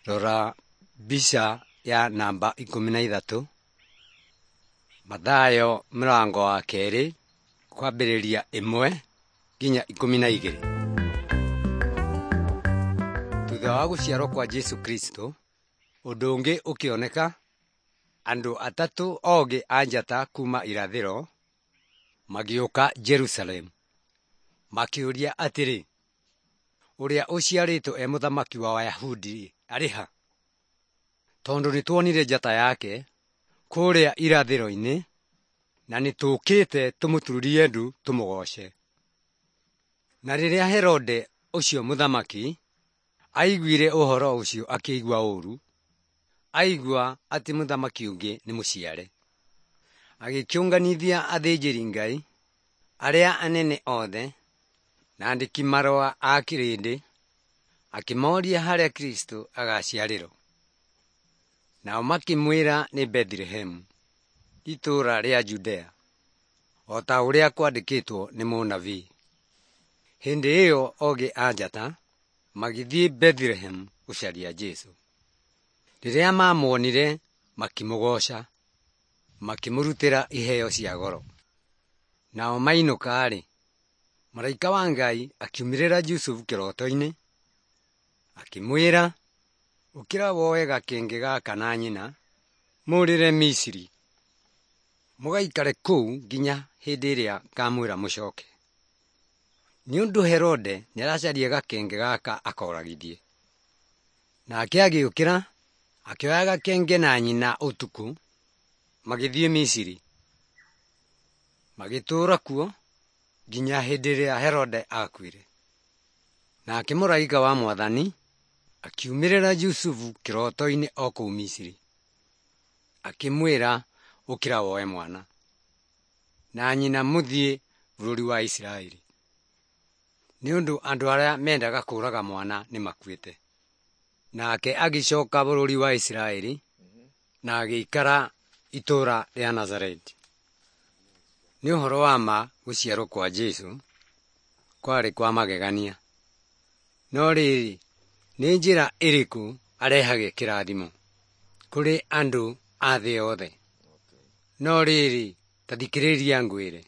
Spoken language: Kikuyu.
Rora mbica ya namba 13. Mathayo mũrango wa 2 kwambĩrĩria 1 nginya 12. Thutha wa gũciarwo kwa Jesũ Kristo, ũndũ ũngĩ ũkĩoneka, andũ atatũ ogĩ a njata kuuma irathĩro magĩũka Jerusalemu, makĩũria atĩrĩ, ũrĩa ũciarĩtwo e mũthamaki wa Ayahudi arĩ ha? Tondũ nĩtuonire njata yake kũrĩa irathĩro-inĩ, na nĩtũũkĩte tũmũturĩrie ndu tũmũgooce. Na rĩrĩa Herode ũcio mũthamaki aiguire ũhoro ũcio akĩigua ũũru, aigua atĩ mũthamaki ũngĩ nĩ mũciare. Agĩkĩũnganithia athĩnjĩri-Ngai arĩa anene othe na andĩki marũa a kĩrĩndĩ, akĩmoria harĩa Kristũ agaciarĩrwo. Nao makĩmwĩra nĩ Bethilehemu, itũũra rĩa Judea, o ta ũrĩa kwandĩkĩtwo nĩ mũnabii. Hĩndĩ ĩyo ogĩ a njata magĩthiĩ Bethilehemu gũcaria Jesũ. Rĩrĩa maamuonire makĩmũgooca, makĩmũrutĩra iheo cia goro. Nao mainũka-rĩ, mũraika wa Ngai akiumĩrĩra Jusufu kĩroto-inĩ, akĩmwĩra, ũkĩra woe gakenge gaka na nyina, mũũrĩre Misiri, mũgaikare kũu nginya hĩndĩ ĩrĩa ngamwĩra mũcoke. Nĩ ũndũ Herode nĩaracaria gakenge gaka akoragithie. Nake agĩũkĩra, akĩoya gakenge na nyina ũtukũ, magĩthiĩ Misiri. Magĩtũũra kuo nginya hĩndĩ ĩrĩa Herode aakuire. Nake mũraika wa Mwathani akiumĩrĩra Jusufu kĩroto-inĩ o kũu Misiri, akĩmwĩra, ũkĩra woe mwana na nyina mũthiĩ bũrũri wa Isiraeli, nĩ ũndũ andũ arĩa mendaga kũũraga mwana nĩmakuĩte. Nake agĩcoka bũrũri wa Isiraeli na agĩikara itũũra rĩa Nazareti. Nĩ ũhoro wa ma gũciarwo kwa Jesũ kwarĩ kwa magegania. No rĩrĩ, nĩ njĩra ĩrĩkũ arehage kĩrathimo kũrĩ andũ a thĩ yothe? No rĩrĩ, ta thikĩrĩria ngwĩre.